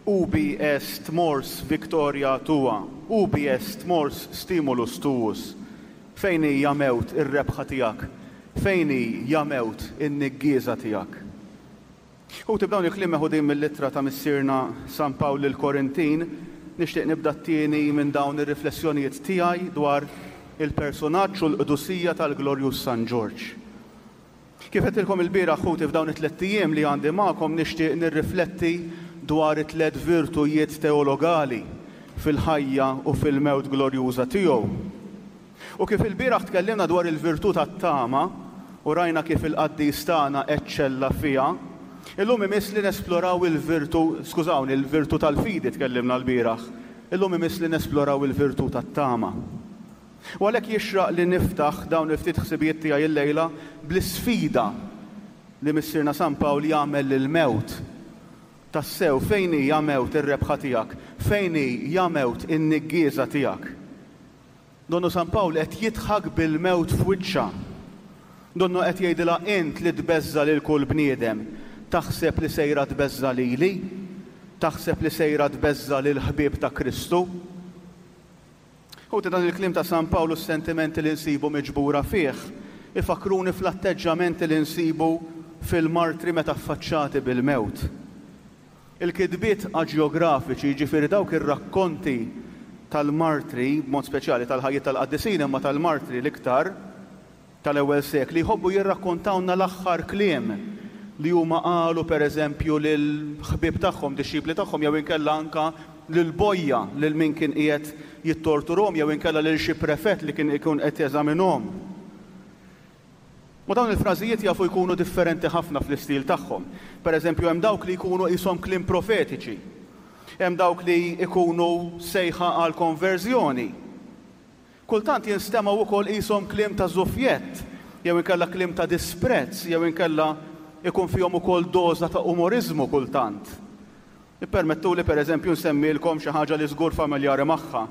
Ubi est mors victoria tua, ubi est mors stimulus tuus? Fejn hi, ja mewt, ir-rebħa tiegħek? Fejn hi, ja mewt, in-niggieża tiegħek? Ħuti, b'dawn il-kliem meħudin mill-ittra ta' Missierna San Pawl lill-Korintin, nixtieq nibda t-tieni minn dawn ir-riflessjonijiet tiegħi dwar il-persunaġġ u l-qdusija tal-glorjuż San Ġorġ. Kif għedtilkom ilbieraħ, ħuti, f'dawn it-tlett ijiem li għandi magħkom nixtieq nirrifletti dwar it-tlett virtujiet teologali fil-ħajja u fil-mewt glorjuża tiegħu. U kif ilbieraħ tkellimna dwar il-virtù tat-tama u rajna kif il-qaddis tagħna eċċella fiha, illum imiss li nesploraw il-virtù, skużawni, il-virtù tal-fidi tkellimna lbieraħ, illum imiss li nesploraw il-virtù tat-tama. U għalhekk jixraq li niftaħ dawn il-ftit ħsibijiet tiegħi illejla bl-isfida li Missierna San Pawl jagħmel lill-mewt. Tassew, fejn hi, ja mewt, ir-rebħa tiegħek? Fejn hi, ja mewt, in-niggieża tiegħek? Donnu San Pawl qed jidħak bil-mewt f'wiċċha. Donnu qed jgħidilha int li tbeżża' lil kull bniedem, taħseb li sejra tbeżża' lili? Taħseb li sejra tbeżża' lill-ħbieb ta' Kristu? Ħuti, dan il-kliem ta' San Pawl u s-sentimenti li nsibu miġbura fih ifakkruni fl-atteġġamenti li nsibu fil-martri meta affaċċati bil-mewt. Il-kitbiet aġjografiċi, jiġifieri dawk ir-rakkonti tal-martri, b'mod speċjali tal-ħajjiet tal-qaddisin imma tal-martri l-iktar, tal-ewwel sekli, jħobbu jirrakkontawlna l-aħħar kliem li huma qalu pereżempju lill-ħbieb tagħhom, dixxipli tagħhom jew inkella anke lill-bojja, lil min kien qiegħed jittorturhom jew inkella lil xi prefett li kien ikun qed jeżaminhom. U dawn il-frażijiet jafu jkunu differenti ħafna fl-istil tagħhom. Per eżempju, hemm dawk li jkunu qishom kliem profetiċi. Hemm dawk li jkunu sejħa għal konverżjoni. Kultant jinstemgħu wkoll qishom kliem ta' żufjett, jew inkella kliem ta' disprezz, jew inkella jkun fihom ukoll doża ta' umoriżmu kultant. Ippermettuli per eżempju nsemmilkom xi ħaġa li żgur familjari magħha.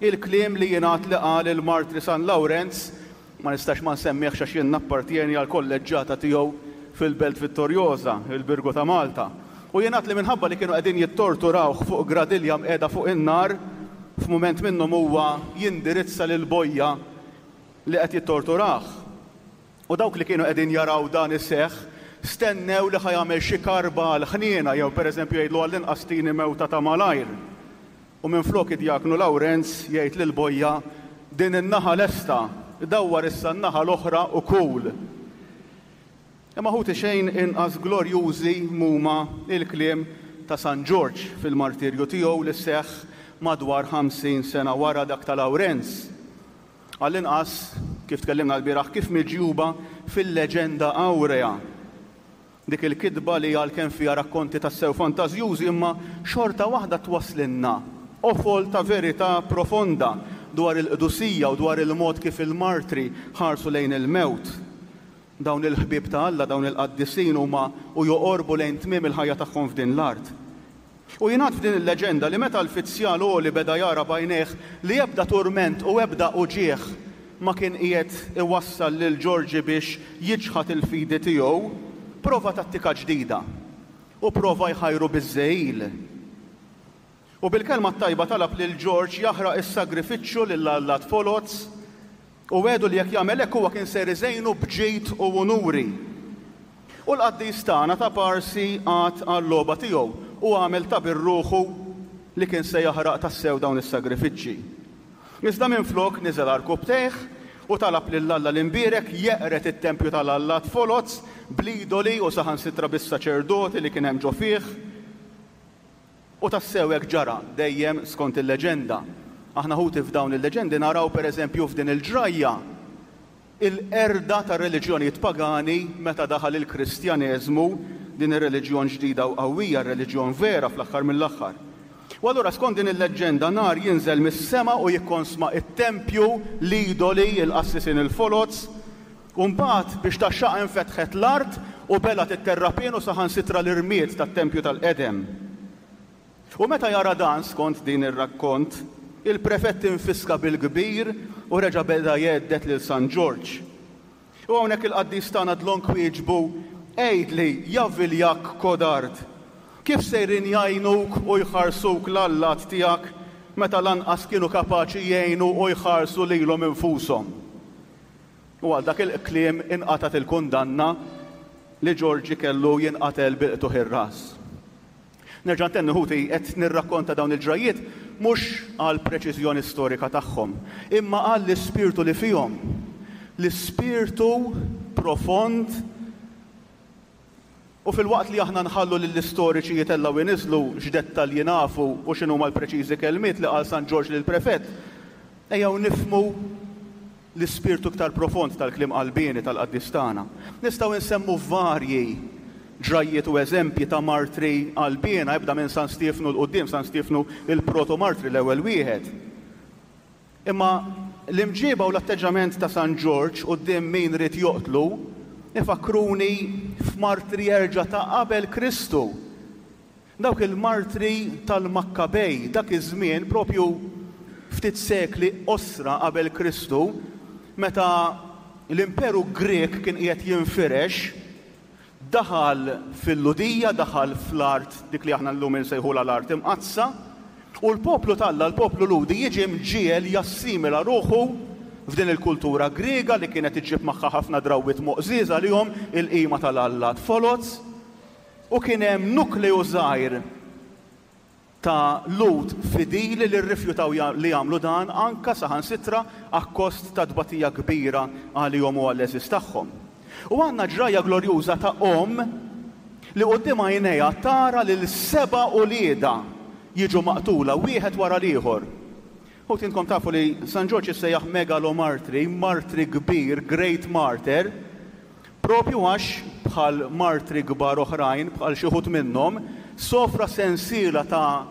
Il-kliem li jingħad li qal il-martri San Lawrenz, ma nistax ma nsemmihx għax jien nappartjeni għall-kolleġġata tiegħu fil-Belt Vittoriosa, il-Birgu ta' Malta. U jingħad li minħabba li kienu qegħdin jittorturawh fuq gradilja mqiegħda fuq in-nar, f'mument minnhom huwa jindirizza lill-bojja li qed jittorturah. U dawk li kienu qegħdin jaraw dan iseħħ stennew li ħa jagħmel xi karba għall-ħniena jew pereżempju jgħidlu għall-inqas tini mewta ta' malajr. U minflok id-djaknu Lawrenz jgħid lill-bojja, Din in-naħa lesta, dawwar issa n-naħa l-oħra u kul. Imma ħuti xejn inqas glorjużi m'huma l-kliem ta' San Ġorġ fil-martirju tiegħu li seħħ madwar 50 sena wara dak ta' Lawrenz. Għall-inqas, kif tkellimna lbieraħ, kif miġjuba fil-Leġenda Awrea, dik il-kitba li għalkemm fiha rakkonti tassew fantażjużi imma xorta waħda twasslilna qofol ta' verità profonda dwar il-qdusija u dwar il-mod kif il-martri ħarsu lejn il-mewt. Dawn il-ħbieb ta' Alla, dawn il-qaddisin huma u joqorbu lejn tmiem il-ħajja tagħhom f'din l-art. U jingħad f'din il-leġenda li meta l-fizzjal għoli beda jara b'għajnejh li ebda turment u ebda uġigħ ma kien qiegħed iwassal lil Ġorġi biex jiċħad il-fidi tiegħu, prova tattika ġdida u prova jħajru biż-żegħil. U bil-kelma t-tajba talab lil Ġorġ jaħraq is-sagrifiċċju lill-allat foloz u wegħdu li jekk jagħmel hekk huwa kien ser iżejnu b'ġid u unuri. U l-qaddis tagħna ta' Parsi qagħad għal-logħba tiegħu u għamel ta' bir-ruħu li kien se jaħraq tassew dawn is-sagrifiċċji. Iżda minflok niżel għarkupptejh u talab lil Alla l-Imbierek jeqred it-tempju tal-allat foloz bl-idoli u saħansitra bis-saċerdoti li kien hemm ġo fih. U tassew hekk ġara, dejjem skont il-leġenda. Aħna ħuti f'dawn il-leġendi naraw pereżempju f'din il-ġrajja il-qerda tar-reliġjonijiet pagani meta daħal il-Kristjaneżmu, din ir-reliġjon ġdida u qawwija, r-reliġjon vera fl-aħħar mill-aħħar. U allura skont din il-leġġenda nar jinżel mis-sema u jikkonsma t-tempju, l-idoli, il-qassisin il-foloz, U mbagħad biex tgħaxxaqha infetħet l-art u belgħet it-terrapien u saħansitra l-irmied tat-tempju tal-qedem. U meta jara dan, skont din ir-rakkont, il-prefett infiska bil-kbir u reġa' beda jhedded lil San Ġorġ. U hawnhekk il-qaddis tagħna dlonk wieġbu, Għidli, ja viljakk kodard! Kif sejrin jgħinuk u jħarsuk l-allat tiegħek meta lanqas kienu kapaċi jgħinu u jħarsu lilhom infushom? U għal dak il-kliem inqatgħet il-kundanna li Ġorġi kellu jinqatel bil-qtugħ ir-ras. Nerġa' ntenni ħuti, qed nirrakkonta dawn il-ġrajjiet mhux għall-preċiżjoni storika tagħhom, imma għall-ispirtu li fihom. L-ispirtu profond u filwaqt li aħna nħallu lill-istoriċi jitellgħu jniżżlu x'dettalji nafu u x'inhuma l-preċiżi kelmiet li qal San Ġorġ lill-prefett, ejjew nifhmu l-ispirtu iktar profond tal-kliem qalbieni tal-qaddis tagħna. Nistgħu nsemmu varji ġrajjiet u eżempji ta' martri qalbiena, ibda minn San Stiefnu 'l quddiem, San Stiefnu il-proto-martri l-ewwel wieħed. Imma l-imġieba u l-atteġġament ta' San Ġorġ quddiem min ried joqtlu ifakkruni f'martri jerġa' ta' qabel Kristu. Dawk il-martri tal-Makkabej, dak iż-żmien, propju ftit sekli qosra qabel Kristu, meta l-Imperu Grieg kien qiegħed jinfirex, daħal fil-Lhudija, daħal fl-art dik li aħna llum insejħulha l-Art Imqaddsa, u l-poplu t'Alla, l-poplu Lhudi, jiġi mġiegħel jassimila ruħu f'din il-kultura Griega li kienet iġġib magħha ħafna drawwiet moqżież għalihom, il-qima tal-allat foloz. U kien hemm nukleu żgħir ta' Lhud fidili li rrifjutaw li jagħmlu dan anke saħansitra akkost ta' tbatija kbira għalihom u għall-għeżież tagħhom. U għandna ġrajja glorjuża ta' omm li quddiem għajnejha tara lil seba' uliedha jiġu maqtula wieħed wara l-ieħor. Ħuti intkom tafu li San Ġorġ jissejjaħ megalomartri, martri kbir, great martyr, Proprju għax, bħal martri kbar oħrajn, bħal xi wħud minnhom, sofra sensiela ta'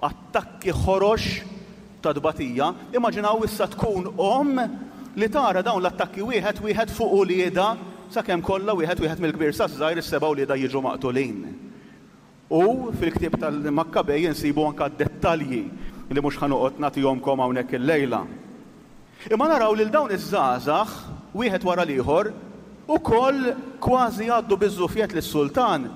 attakki ħorox ta' tbatija, immaġinaw issa tkun omm li tara dawn l-attakki wieħed wieħed fuq uliedha sakemm kollha wieħed wieħed mill-kbir saż-żgħir is-seba' uliedha jiġu maqtulin. U fil-ktieb tal-Makkabej insibu anke d-dettalji li mhux ħa noqgħod nagħtihomkom hawnhekk illejla. Imma naraw lil dawn iż-żgħażagħ, wieħed wara l-ieħor, ukoll kważi jgħaddu biż-żufjett lis-sultan,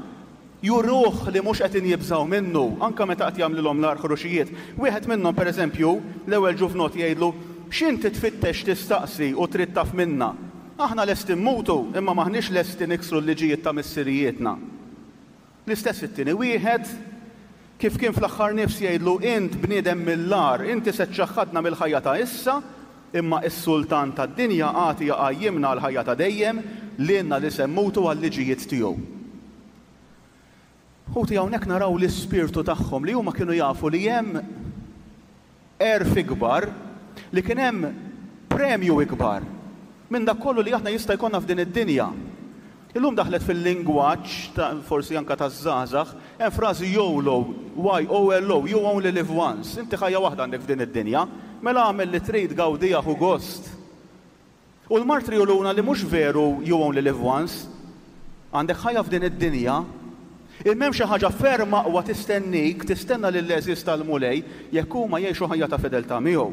juruh li mhux qegħdin jibżgħu minnu, anke meta qed jagħmlilhom l-agħar ħruxijiet. Wieħed minnhom, pereżempju, l-ewwel ġuvnott jgħidlu, X'inti tfittex tistaqsi u trid taf minna? Aħna lesti mmutu, imma m'aħniex lesti niksru l-liġijiet ta' missirijietna. L-istess it-tieni wieħed, kif kien fl-aħħar nifs jgħidlu, Int bniedem mill-agħar, inti se ċċaħħadna mill-ħajja ta' issa, imma s-Sultan tad-dinja għad jqajjimna għall-ħajja ta' dejjem, lilna li se mmutu għal-liġijiet tiegħu. Ħuti hawnhekk naraw l-ispirtu tagħhom li huma kienu jafu li hemm għerf ikbar, li kien hemm premju ikbar minn dak kollu li aħna jista' jkollna f'din id-dinja. Illum daħlet fil-lingwaġġ ta' forsi anke taż-żgħażagħ, hemm frażi YOLO, Y-O-L-O, you only live once, inti ħajja waħda għandek f'din id-dinja, mela agħmel li trid, gawdiha, ħu gost. U l-martri juruna li mhux veru you only live once. Għandek ħajja f'din id-dinja, imma hemm xi ħaġa ferm aqwa tistennik, tistenna lill-għeżież tal-Mulej jekk huma jgħixu ħajja ta' fedeltà miegħu.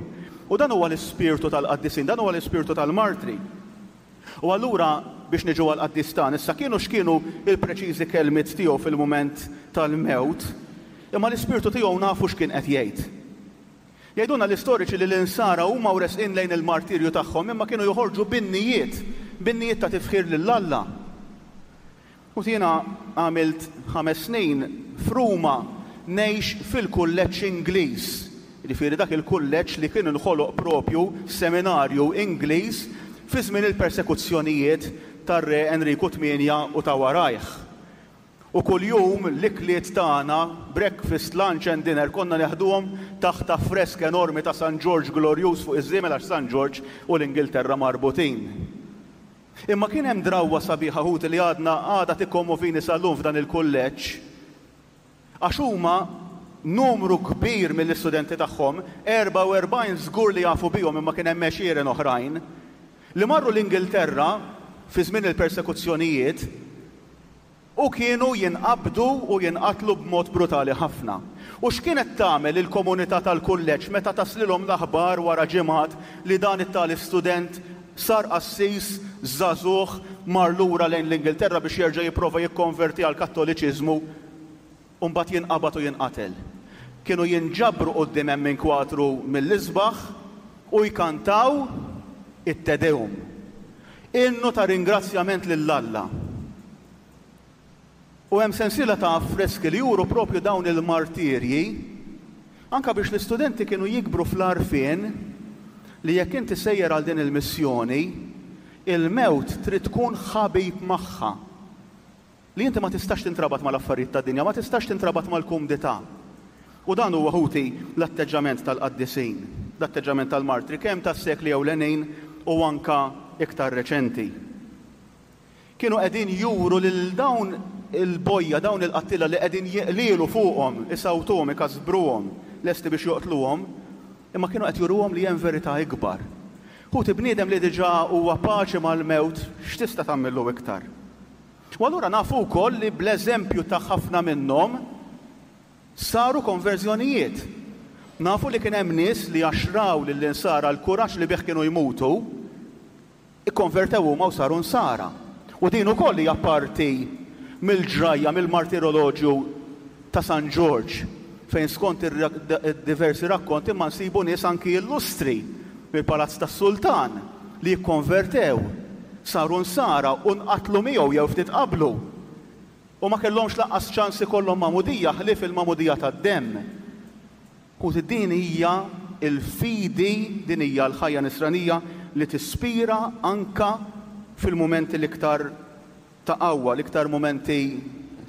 U dan huwa l-ispirtu tal-qaddisin, dan huwa l-ispirtu tal-martri. U allura biex niġu għall-qaddis tagħna, issa kienu x'kienu l-preċiżi kelmiet tiegħu fil-mument tal-mewt, imma l-ispirtu tiegħu nafu x'kien qed jgħid. Jgħidulna l-istoriċi li l-Insara huma u resqin lejn il-martirju tagħhom imma kienu joħorġu b'innijiet, b'innijiet ta' tifħir lil Alla. U jiena għamilt ħames snin f'Ruma ngħix fil-kulleġġ Ingliż, jiġifieri dak il-kulleġġ li kien inħoloq propju seminarju Ingliż fi żmien il-persekuzzjonijiet tar-Re Enriku Tmienja u ta' warajh. U kuljum l-ikliet tagħna, breakfast, lunch and dinner, konna neħduhom taħt affresk enormi ta' San Ġorġ glorjuż fuq iż-żiemel għax San Ġorġ u l-Ingilterra marbutin. Imma kien hemm drawwa sabiħa ħuti li għadna għadha tikkommovini sal-lum f'dan il-kulleġġ. Għax huma numru kbir mill-istudenti tagħhom, 44 żgur li jafu bihom imma kien hemm għexieren oħrajn, li marru l-Ingilterra fi żmien il-persekuzzjonijiet, U kienu jinqabdu u jinqatlu b'mod brutali ħafna. U x'kienet tagħmel il-komunità tal-kulleġġ meta taslilhom l-aħbar wara ġimgħat li dan it-tali student sar qassis żagħżugħ mar lura lejn l-Ingilterra biex jerġa' jipprova jikkonverti għall-Kattoliċiżmu? U mbagħad jinqabad u jinqatel. Kienu jinġabru quddiem hemm inkwatru mill-isbaħ u jkantaw it-Te Deum, innu ta' ringrazzjament lil Alla. U hemm sensiela ta' affreski li juru propju dawn il-martirji, anke biex l-istudenti kienu jikbru fl-għarfien li jekk inti sejjer għal din il-missjoni, il-mewt trid tkun ħabib magħha. Li inti ma tistax tintrabat mal-affarijiet tad-dinja, ma tistax tintrabat mal-kumdità. U dan huwa, ħuti, l-atteġġament tal-qaddisin, l-atteġġament tal-martri, kemm tas-sekli ewlenin u anke iktar reċenti. Kienu qegħdin juru lil dawn il-bojja, dawn il-qattiela li qegħdin jeqlielu fuqhom, isawtuhom, ikasbruhom, lesti biex joqtluhom, imma kienu qed juruhom li hemm verità ikbar. Ħuti, bniedem li diġà huwa paċi mal-mewt, x'tista' tagħmillu iktar? U allura nafu wkoll li bl-eżempju ta' ħafna minnhom saru konverżjonijiet. Nafu li kien hemm nies li għax raw lill-Insara l-kuraġġ li bih kienu jmutu, ikkonvertew huma u saru Nsara. U din ukoll hija parti mill-ġrajja, mill-martiroloġju ta' San Ġorġ, fejn skont id-diversi rakkonti imma nsibu nies anki illustri mill-palazz tas-sultan li kkonvertew, saru Nsara u nqatlu miegħu jew ftit qablu. U ma kellhomx lanqas ċans ikollhom magħmudija ħlief il-magħmudija tad-demm. Ħuti din hija l-fidi, din hija l-ħajja Nisranija li tispira anke fil-mumenti l-iktar ta' qawwa, l-iktar mumenti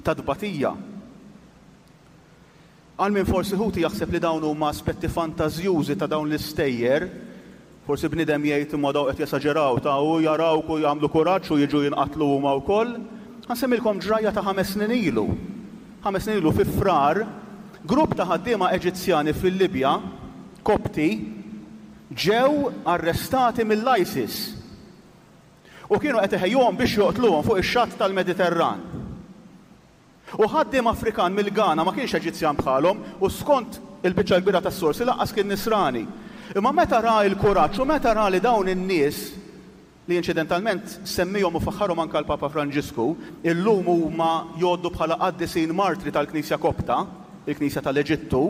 ta' tbatija. Għal min forsi ħuti jaħseb li dawn huma aspetti fantażjużi ta' dawn l-istejjer, forsi bniedem jgħid imma dawn qed jesaġeraw ta' u jarawk u jagħmlu kuraġġ u jiġu jinqatlu huma wkoll. Ħa nsemmilkom ġrajja ta' ħames snin ilu. Ħames snin ilu fi Frar, grupp ta' ħaddiema Eġizzjani fil-Libja, Kopti, ġew arrestati mill-ISIS. U kienu qed iħejjuhom biex joqtluhom fuq ix-xatt tal-Mediterran. U ħaddiem Afrikan mill-Ghana ma kienx Eġizzjan bħalhom u skont il-biċċa l-kbira tas-sorsi lanqas kien Nisrani. Imma meta ra l-kuraġġ u meta ra li dawn in-nies, li inċidentalment semmihom u faħħarhom anke l-Papa Franġisku, illum huma jgħoddu bħala qaddisin martri tal-Knisja Kopta, il-Knisja tal-Eġittu,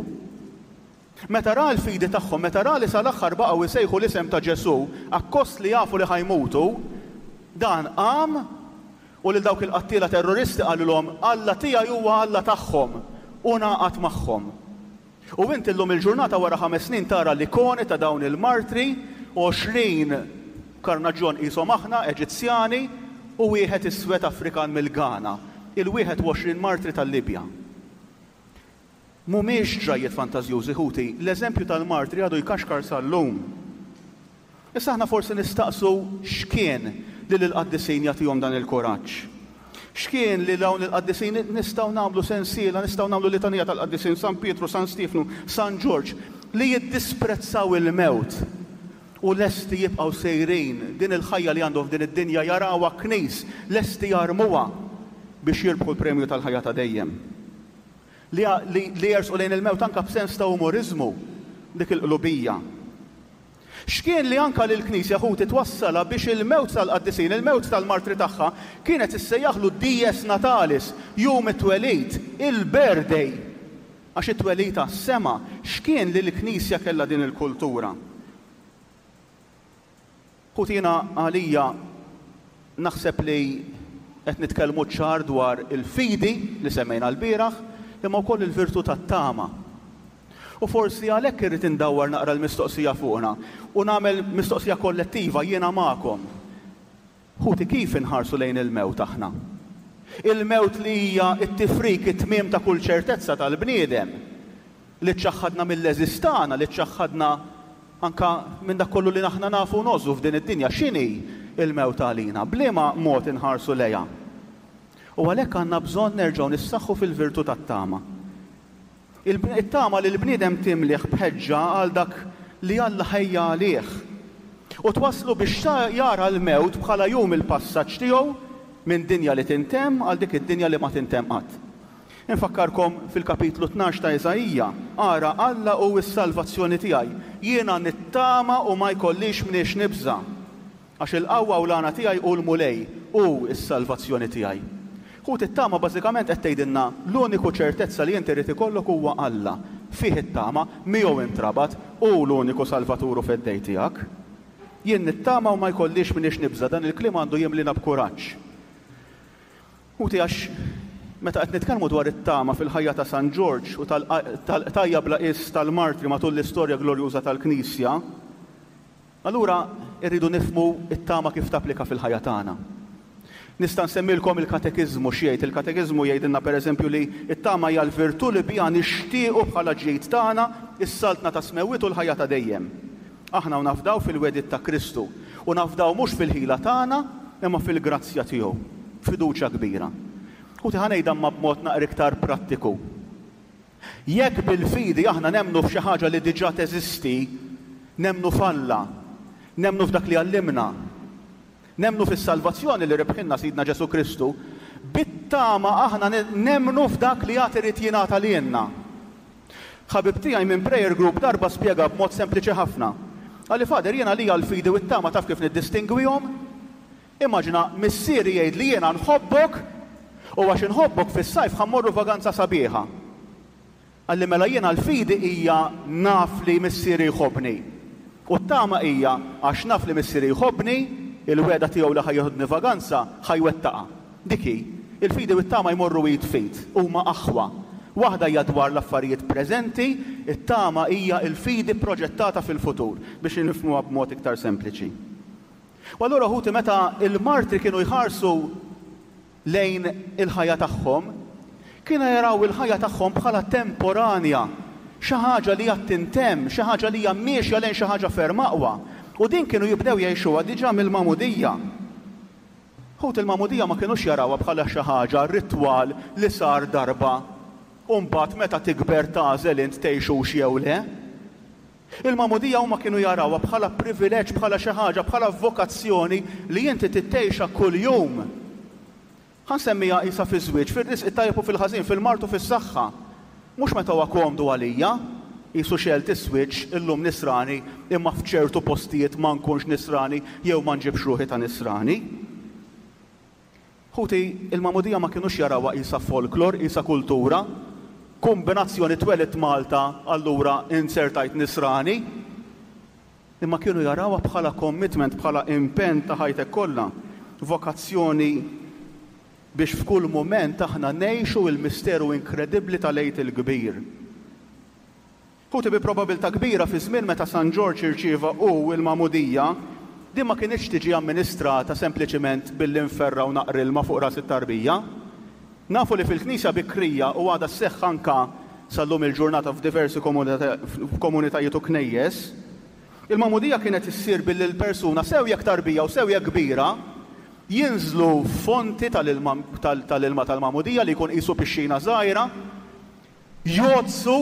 Meta ra l-fidi tagħhom, meta ra li sal-aħħar baqgħu jsejħu l-isem ta' Ġesù, akkost li jafu li ħa jmutu, dan qam u lil dawk il-qattiela terroristi qalilhom, Alla tiegħi huwa Alla tagħhom, u ngħaqad magħhom. U int illum il-ġurnata wara ħames snin tara l-ikoni ta' dawn il-martri, 20 karnaġġjon qishom aħna, Eġizzjani, u wieħed iswed Afrikan mill-Ghana, il-21 martri tal-Libja. Mhumiex ġrajjiet fantażjużi, ħuti, l-eżempju tal-martri għadu jkaxkar sal-lum. Issa aħna forsi nistaqsu x'kien li lill-qaddisin jagħtihom dan il-kuraġġ. X'kien li dawn il-qaddisin nistgħu nagħmlu sensiela, nistgħu nagħmlu litanija tal-qaddisin San Pietru, San Stiefnu, San Ġorġ, li jiddisprezzaw il-mewt u lesti jibqgħu sejrin din il-ħajja li għandhom f'din id-dinja jarawha knis, lesti jarmuha biex jirbħu l-premju tal-ħajja ta' dejjem. Li, li, li jersqu lejn il-mewt anke b'sens ta' umoriżmu, dik il-qlubija. X'kien li anke lill-Knisja ħuti twassalha biex il-mewt tal-qaddisin, il-mewt tal-martri tagħha, kienet issejjaħlu dies natalis, jum it-twelid, il-birthday, għax it-twelid għas-sema. X'kien li l-Knisja kellha din il-kultura? Ħuti jiena għalija naħseb li qed nitkellmu ċar dwar il-fidi li semmejna lbieraħ, imma wkoll il-virtù tat-tama. U forsi għalhekk irrid indawwar naqra l-mistoqsija fuqna u nagħmel mistoqsija kollettiva jiena magħkom. Ħuti kif inħarsu lejn il-mewt aħna? Il-mewt li hija t-tifrik, it-tmiem ta' kull ċertezza tal-bniedem, li ċċaħħadna mill-għeżież tagħna, li ċċaħħadna anke minn dak kollu li aħna nafu u ngħożżu f'din id-dinja. X'inhi l-mewt għalina? B'liema mod inħarsu lejha? U għalhekk għandna bżonn nerġgħu nissaħħu fil-virtù tat-tama. It-tama li l-bniedem timlieh b'ħeġġa għal dak li Alla ħejja għalih, u twasslu biex jara l-mewt bħala jum il-passaġġ tiegħu minn dinja li tintemm għal dik id-dinja li ma tintemm qatt. Infakkarkom fil-kapitlu 12 ta' Iżaija, Ara, Alla hu s-salvazzjoni tiegħi, jiena nittama u ma jkollix mniex nibża'. Għax il-qawwa u l-għana tiegħi hu l-Mulej, hu s-salvazzjoni tiegħi. Ħuti t-tama bażikament qed tgħidilna l-uniku ċertezza li inti rrid ikollok huwa Alla. Fih it-tama, miegħu intrabat, hu l-uniku Salvatur u Feddej tiegħek. Jien nittama u ma jkollix m'iniex nibża', dan il-kliem għandu jimlina b'kuraġġ. Ħuti għax meta qed nitkellmu dwar it-tama fil-ħajja ta' San Ġorġ u tal-qtajja bla qies tal-martri matul l-istorja glorjuża tal-Knisja, allura rridu nifhmu t-tama kif tapplika fil-ħajja tagħna. Nista' nsemmilkom il-Katekiżmu x'jgħid. Il-Katekiżmu jgħidilna pereżempju li t-tama hija l-virtù li biha nixtiequ bħala ġid tagħna s-Saltna tas-Smewwiet u l-ħajja ta' dejjem. Aħna u nafdaw fil-wegħdiet ta' Kristu, u nafdaw mhux fil-ħila tagħna imma fil-grazzja tiegħu, b'fiduċja kbira. Ħuti ħa ngħidha imma b'mod naqra iktar prattiku. Jekk bil-fidi aħna nemmnu f'xi ħaġa li diġà teżisti, nemmnu f'Alla, nemmnu f'dak li għallimna, Nemmnu fis-salvazzjoni li rebħilna Sidna Ġesù Kristu, bit-tama aħna nemmnu f'dak li għad irid jingħata lilna. Ħabib tiegħi minn prayer group darba spjega b'mod sempliċi ħafna. Qalli, Father, jien għalija l-fidi u t-tama taf kif niddistingwihom? Immaġina missieri jgħidli jiena nħobbok u għax inħobbok fis-sajf ħa mmorru vaganza sabiħa. Qalli mela jiena l-fidi hija naf li Missieri jħobbni. U t-tama hija għax naf li Missieri jħobbni, il-wegħda tiegħu li ħa jieħodni vaganza ħa jwettaqha. Dik hi. Il-fidi u t-tama jmorru id f'id. Huma aħwa. Waħda hija dwar l-affarijiet preżenti, it-tama hija l-fidi proġettata fil-futur, biex nifhmuha b'mod iktar sempliċi. U allura ħuti meta l-martri kienu jħarsu lejn il-ħajja tagħhom, kienu jaraw il-ħajja tagħhom bħala temporanja, xi ħaġa li għad tintemm, xi ħaġa li hija miexja lejn xi ħaġa ferm aqwa. U din kienu jibdew jgħixuha diġà mill-magħmudija. Ħut il-magħmudija ma kinux jarawha bħala xi ħaġa ritwal li sar darba u mbagħad meta tikber tagħżel int tgħixux jew le. Il-magħmudija huma kienu jarawha bħala privileġġ, bħala xi ħaġa, bħala vokazzjoni li inti trid tgħixha kuljum. Ħa nsemmiha qisha fiż-żwieġ, fir-risq it-tajjeb u fil-ħażin, fil-mard u fis-saħħa. Mhux meta huwa komdu għalija, qisu xegħelt is-switch, illum nisrani imma f'ċertu postijiet ma nkunx nisrani jew ma nġibx ruħi ta' nisrani. Ħuti, il-magħmudija ma kinux jarawha qisha folklor, qisha kultura, kumbinazzjoni twelidt Malta allura inzertajt nisrani. Imma kienu jarawha bħala commitment, bħala impenn ta' ħajtek kollha, vokazzjoni biex f'kull mument aħna ngħixu il-misteru inkredibbli tal-Għid il-Kbir. Ħuti bi probabilità kbira fiż-żmien meta San Ġorġ irċieva hu l-magħmudija, din ma kinitx tiġi amministrata sempliċiment billi nferrgħu naqra ilma fuq ras it-tarbija. Nafu li fil-Knisja bikrija u għadha sseħħ anka sal-lum il-ġurnata f'diversi komunitajiet u knejjes, il-magħmudija kienet issir billi l-persuna sew jekk tarbija u sew jekk kbira, jinżlu f'fonti tal-ilma tal-ilma tal-magħmudija li jkun qisu pixxina żgħira, Jgħoddsu,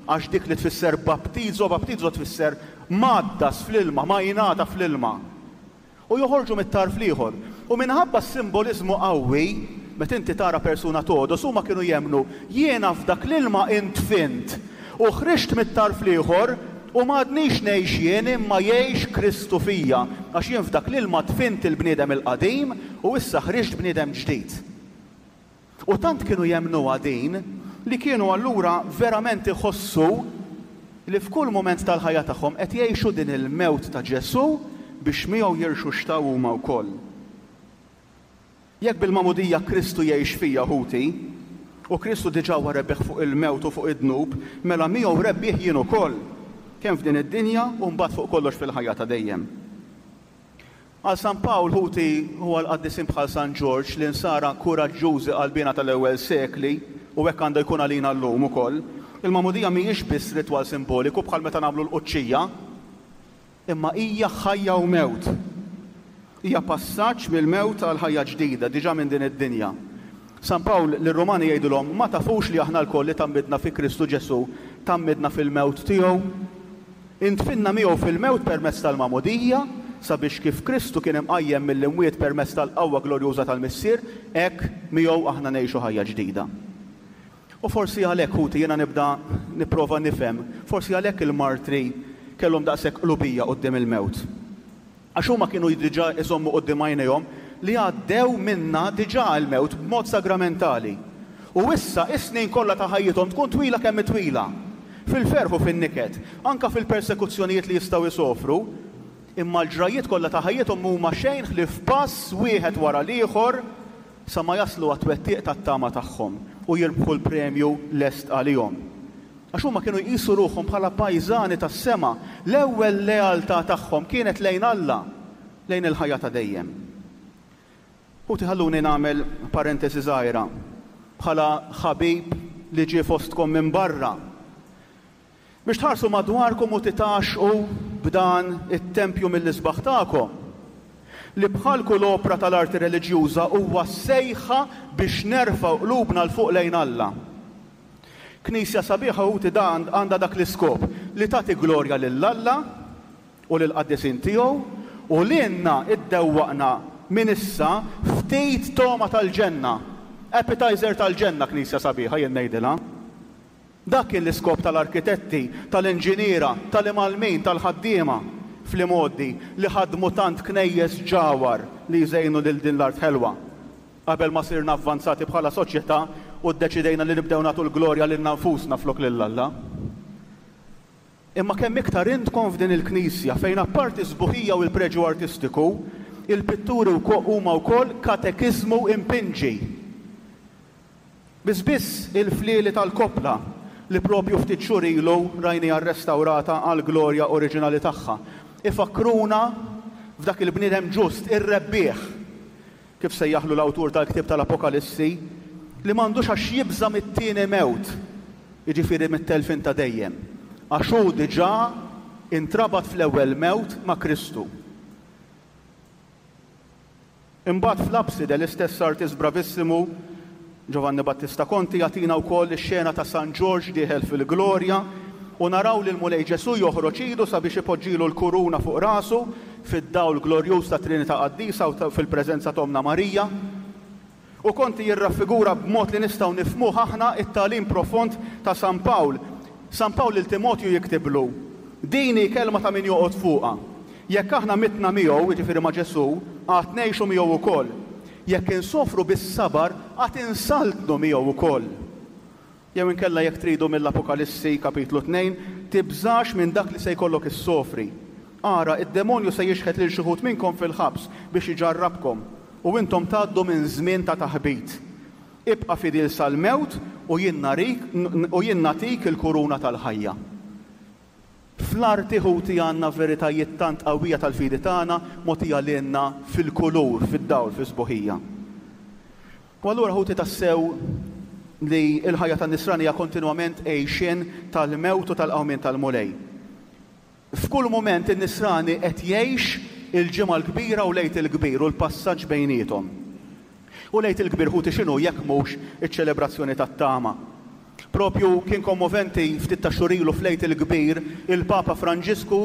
għax dik li tfisser baptizo, baptizo tfisser mgħaddas fl-ilma, ma jingħata fl-ilma. U joħorġu mit-tarf l-ieħor. U minħabba s-simboliżmu qawwi, meta inti tara persuna togħdos, huma kienu jemmnu, jiena f'dak l-ilma intfint u ħriġt mit-tarf l-ieħor u m'għadnix ngħix jien imma jgħix Kristu fija, għax jien f'dak l-ilma dfint il-bniedem il-qadim u issa ħriġt bniedem ġdid. U tant kienu jemmnuha din li kienu allura verament iħossu li f'kull mument tal-ħajja tagħhom qed jgħixu din il-mewt ta' Ġesù biex miegħu jirxuxtaw huma wkoll. Jekk bil-magħmudija Kristu jgħix fija, ħuti, u Kristu diġà huwa rebbieħ fuq il-mewt u fuq id-dnub, mela miegħu rebbieħ jien ukoll, kemm f'din id-dinja u mbagħad fuq kollox fil-ħajja ta' dejjem. Għal San Pawl, ħuti, u għal qaddisin bħal San Ġorġ, l-insara kuraġġużi qalbiena tal-ewwel sekli, u hekk għandha jkun għalina llum ukoll, il-magħmudija mhijiex biss ritwal simboliku bħal meta nagħmlu l-quċċija, imma hija ħajja u mewt. Hija passaġġ mill-mewt għal ħajja ġdida, diġà minn din id-dinja. San Pawl lir-Rumani jgħidilhom, Ma tafux li aħna lkoll li tgħammidna fi Kristu Ġesù, tgħammidna fil-mewt tiegħu? Indfinna miegħu fil-mewt permezz tal-magħmudija, sabiex kif Kristu kien imqajjem mill-imwiet permezz tal-qawwa glorjuża tal-Missier, hekk miegħu aħna ngħixu ħajja ġdida. U forsi għalhekk, ħuti, jiena nibda nipprova nifhem, forsi għalhekk il-martri kellhom daqshekk qlubija quddiem il-mewt. Għax huma kienu diġà iżommu quddiem għajnejhom li għaddew minnha diġà l-mewt b'mod sagramentali. U issa is-snin kollha ta' ħajjithom tkun twila kemm hi twila, fil-ferħ u fin-niket, anke fil-persekuzzjonijiet li jistgħu jsofru, imma l-ġrajjiet kollha ta' ħajjithom m'huma xejn ħlief pass wieħed wara l-ieħor sa ma jaslu għat-twettiq tat-tama tagħhom u jirbħu l-premju lest għalihom. Għax huma kienu jqisu ruħhom bħala pajżani tas-sema, l-ewwel lealtà tagħhom kienet lejn Alla, lejn il-ħajja ta' dejjem. Ħuti ħalluni nagħmel parentesi żgħira, bħala ħabib li ġie fostkom minn barra, biex tħarsu madwarkom u titgħaxxqu b'dan it-tempju mill-isbaħ tagħkom, li bħal kull opra tal-arti reliġjuża huwa sejħa biex nerfgħu qlubna 'l fuq lejn Alla. Knisja sabiħa ħuti dan għandha dak l-iskop, li tagħti glorja lil Alla u lill-qaddisin tiegħu u lilna ddewwaqna minn issa ftit togħma tal-ġenna. Appetizer tal-ġenna knisja sabiħa jien ngħidilha. Dak kien l-iskop tal-arkitetti, tal-inġiniera, tal-imgħallmin, tal-ħaddiema fl-imgħoddi li ħadmu tant knejjes ġawhar li jżejnu lil din l-art ħelwa. Qabel ma sirna avvanzati bħala soċjetà u ddeċidejna li nibdew nagħtu l-glorja lilna nfusna flok lil Alla. Imma kemm iktar intkom f'din il-knisja fejn apparti s-sbuħija u l-preġju artistiku, il-pitturi huma wkoll katekiżmu impinġi. Biss biss il-flieli tal-koppla, li proprju ftit xhur ilu rajniha rrestawrata għall-glorja oriġinali tagħha, ifakkruna f'dak il-bniedem ġust, ir-rebbieħ, kif sejjaħlu l-awtur tal-ktieb tal-Apokalissi, li m'għandux għax jibża' mit-tieni mewt, jiġifieri mit-telfien ta' dejjem, għax hu diġà intrabat fl-ewwel mewt ma' Kristu. Imbagħad fl-apside l-istess artist bravissimu, Giovanni Battista Conti, jagħtina wkoll ix-xena ta' San Ġorġ dieħel fil-glorja u naraw lill-Mulej Ġesù joħroġ idu sabiex ipoġġilu l-kuruna fuq rasu fid-dawl glorjuż tat-Trinità Qaddisa u fil-preżenza t'Ommna Marija. U Conti jirraffigura b'mod li nistgħu nifhmuh aħna t-tagħlim profond ta' San Pawl. San Pawl lil Timotju jiktiblu, Din hi kelma ta' min joqgħod fuqha. Jekk aħna mitna miegħu, jiġifieri ma' Ġesù, għad ngħixu miegħu wkoll. Jekk insofru bis-sabar, għad insaltnu miegħu wkoll. Jew inkella jekk tridu mill-Apokalissi, kapitlu 2, Tibżax minn dak li se jkollok issofri. Ara, id-demonju se jixħet lil xi wħud minnkom fil-ħabs biex iġarrabkom, u intom tgħaddu minn żmien ta' taħbit. Ibqa' fidil sal-mewt u jien narik u jien nagħtik il-kuruna tal-ħajja. Fl-arti, ħuti, għandna veritajiet tant qawwija tal-fidi tagħna mogħtija lilna fil-kulur, fid-dawl, fis-sbuħija. U allura, ħuti, tassew li l-ħajja tan-Nisrani hija kontinwament għixien tal-mewt u tal-qawmien tal-Mulej. F'kull mument in-Nisrani qed jgħix il-Ġimgħa l-Kbira u l-Għid il-Kbir u l-passaġġ bejniethom. U l-Għid il-Kbir ħuti x'inhu jekk mhux iċ-ċelebrazzjoni tat-tama? Propju kien kommoventi ftit ta' xhur ilu fl-Għid il-Kbir il-Papa Franġisku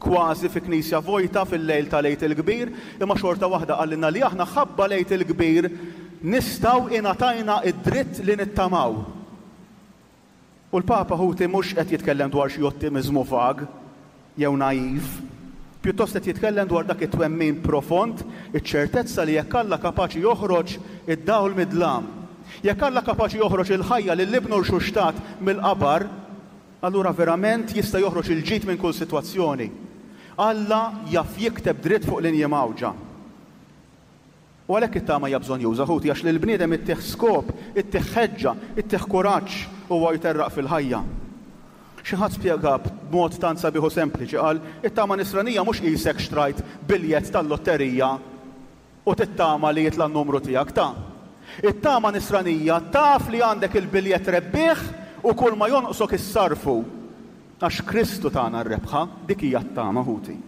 kważi fi knisja vojta fil-lejl tal-Għid il-Kbir imma xorta waħda qalilna li aħna ħabba l-Għid il-Kbir nistgħu ingħatajna d-dritt li nittamaw. U l-Papa, ħuti, mhux qed jitkellem dwar xi ottimiżmu vag jew naiv. Pjuttost qed jitkellem dwar dak it-twemmin profond, iċ-ċertezza li jekk Alla kapaċi joħroġ id-dawl mid-dlam, jekk Alla kapaċi joħroġ il-ħajja lil Ibnu rxuxtat mill-qabar, allura verament jista' joħroġ il-ġid minn kull sitwazzjoni. Alla jaf jikteb dritt fuq linji mgħawġa. U għalhekk it-tama hija bżonnjuża, ħuti, għax lill-bniedem ittih skop, ittih ħeġġa, ittih kuraġġ huwa jterraq fil-ħajja. Xi ħadd spjega b'mod tant sabiħ u sempliċi, qal, It-tama nisranija mhux qisek xtrajt biljett tal-lotterija u tittama li jitla' n-numru tiegħek, ta. It-tama nisranija taf li għandek il-biljett rebbieħ u kulma jonqsok issarrfu. Għax Kristu tana r-rebħa, dik hija t-tama, ħuti.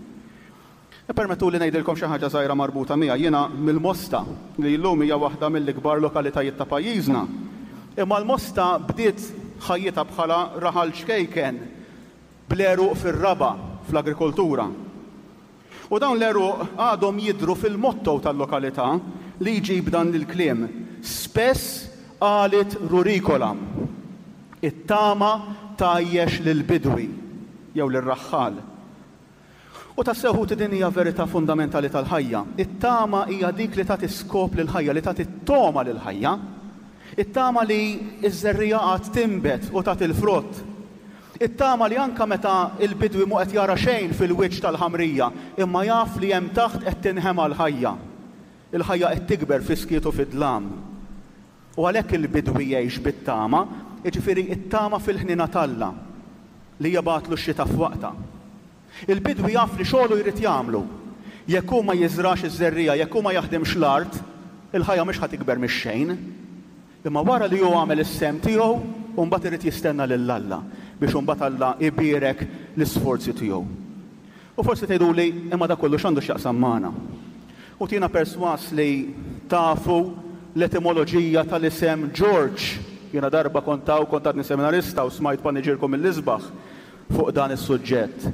Ippermettuli ngħidilkom xi ħaġa żgħira marbuta miegħi. Jiena mill-Mosta, li llum hija waħda mill-ikbar lokalitajiet ta' pajjiżna. Imma l-Mosta bdiet ħajjitha bħala raħal ċkejken bl-għeruq fir-raba', fl-agrikoltura. U dawn l-għeruq għadhom jidhru fil-motto tal-lokalità li jġib dan il-kliem, Spes alit ruricolam, It-tama tgħajjex lill-bidwi jew lir-raħħal. U tassew ħuti din hija verità fundamentali tal-ħajja. It-tama hija dik li tagħti skop lill-ħajja, li tagħti togħma lill-ħajja. It-tama li ż-żerriegħa għad tinbet u tagħti l-frott. It-tama li anke meta l-bidwi mhu qed jara xejn fil-wiċċ tal-ħamrija, imma jaf li hemm taħt qed tinħema l-ħajja. Il-ħajja qed tikber fis-skiet u fid-dlam. U għalhekk il-bidwi jgħix bit-tama, jiġifieri t-tama fil-ħniena t'Alla, li jibgħatlu x-xita f'waqtha. Il-bidwi jaf li xogħlu jrid jagħmlu. Jekk hu ma jiżrax iż-żerriegħa, jekk hu ma jaħdimx l-art, il-ħajja mhix ħa tikber mix-xejn. Imma wara li hu għamel is-sehem tiegħu, hu mbagħad irid jistenna lil Alla biex imbagħad Alla jbierek l-isforzi tiegħu. U forsi tgħiduli, imma dak kollu x'għandu x'jaqsam magħna? U jiena persważ li tafu l-etimoloġija tal-isem George. Jiena darba kont hawn, kont għadni seminarista u smajt paniġierku mill-isbaħ fuq dan is-suġġett.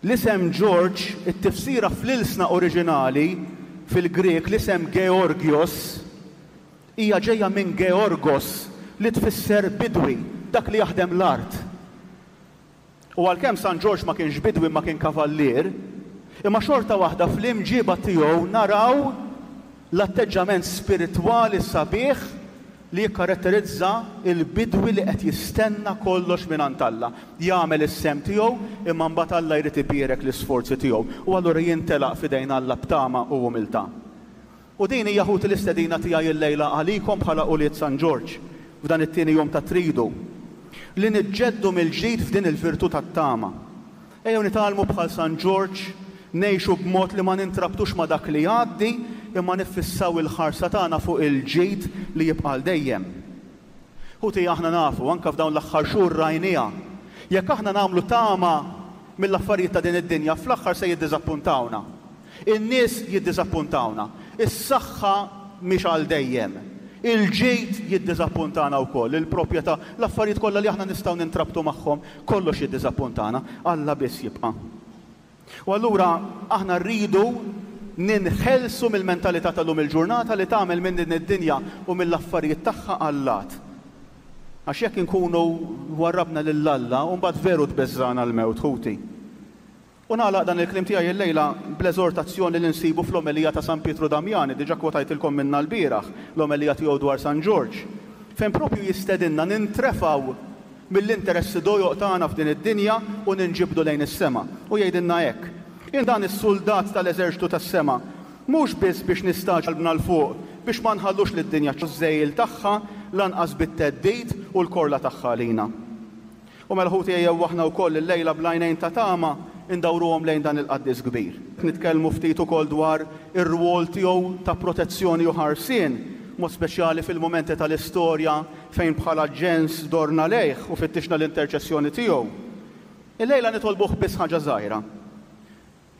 L-isem George, it-tifsira fl-ilsna oriġinali, fil-Grieg, l-isem Georgios, hija ġejja minn Georgos, li tfisser bidwi, dak li jaħdem l-art. U għalkemm San Ġorġ ma kienx bidwi imma kien kavallier, imma xorta waħda fl-imġieba tiegħu naraw l-atteġġament spiritwali sabiħ li jikkaratterizza l-bidwi li qed jistenna kollox mingħand Alla. Jagħmel is-sehem tiegħu imma mbagħad Alla jrid ibierek l-isforzi tiegħu u allura jintelaq f'idejn Alla b'tama u umiltà. U din hija ħuti l-istedina tiegħi llejla għalikom bħala ulied San Ġorġ, f'dan it-tieni jum tat-Tridu, li niġġeddu mill-ġdid f'din il-virtù tat-tama. Ejjew nitgħallmu bħal San Ġorġ ngħixu b'mod li ma nintrabtux ma' dak li jgħaddi imma niffissaw il-ħarsa tagħna fuq il-ġid li jibqa' għal dejjem. Ħuti aħna nafu, anke f'dawn l-aħħar xhur rajniha, jekk aħna nagħmlu tama mill-affarijiet ta' din id-dinja fl-aħħar se jiddiżappuntawna. In-nies jiddiżappuntawna. Is-saħħa mhix għal dejjem. Il-ġid jiddiżappuntana wkoll, il-propjetà, l-affarijiet kollha li aħna nistgħu nintrabtu magħhom, kollox jiddiżappuntana. Alla biss jibqa'. U allura aħna rridu ninħelsu mill-mentalità tal-lum il-ġurnata li tagħmel minn din id-dinja u mill-affarijiet tagħha allat. Għax jekk inkunu warrabna lil Alla, mbagħad veru tbeżżagħna l-mewt, ħuti. U nagħlaq dan il-kliem tiegħi illejla bl-eżortazzjoni li nsibu fl-omelija ta' San Pietru Damjani, diġà kwotajtilkom minnha lbieraħ, l-omelija tiegħu dwar San Ġorġ, fejn propju jistedinna nintrefgħu mill-interessi dojoq tagħna f'din id-dinja u ninġibdu lejn is-sema. U jgħidilna hekk, Jien dan is-suldat tal-eżerċtu tas-sema, mhux biss biex nistagħġbu qalbna 'l fuq, biex ma nħallux lid-dinja ż-żegħil tagħha, lanqas bit-theddid u l-korla tagħha għalina. U mela ħuti ejjew aħna wkoll illejla bl-għajnejn ta' tama ndawruhom lejn dan il-qaddis kbir. Nitkellmu ftit ukoll dwar ir-rwol tiegħu ta' protezzjoni u ħarsien, mod speċjali fil-mumenti tal-istorja fejn bħala ġens dorna lejh u fittixna l-interċessjoni tiegħu. Illejla nitolbuh biss ħaġa żgħira.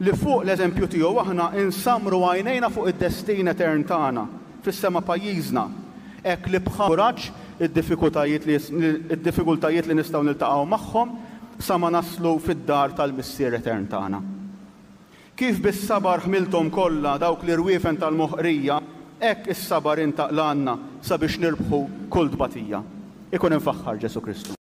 Li fuq l-eżempju tiegħu aħna nsammru għajnejna fuq id-destin etern tagħna fis-sema pajjiżna, hekk li bħal kuraġġ id-diffikutajiet li id-diffikultajiet li nistgħu niltaqgħu magħhom sa ma naslu fid-dar tal-Missier etern tagħna. Kif bis-sabar ħmilthom kollha dawk l-irwiefen tal-moħqrija, hekk is-sabar int aqlgħalna sabiex nirbħu kull tbatija. Ikun imfaħħar Ġesù Kristu.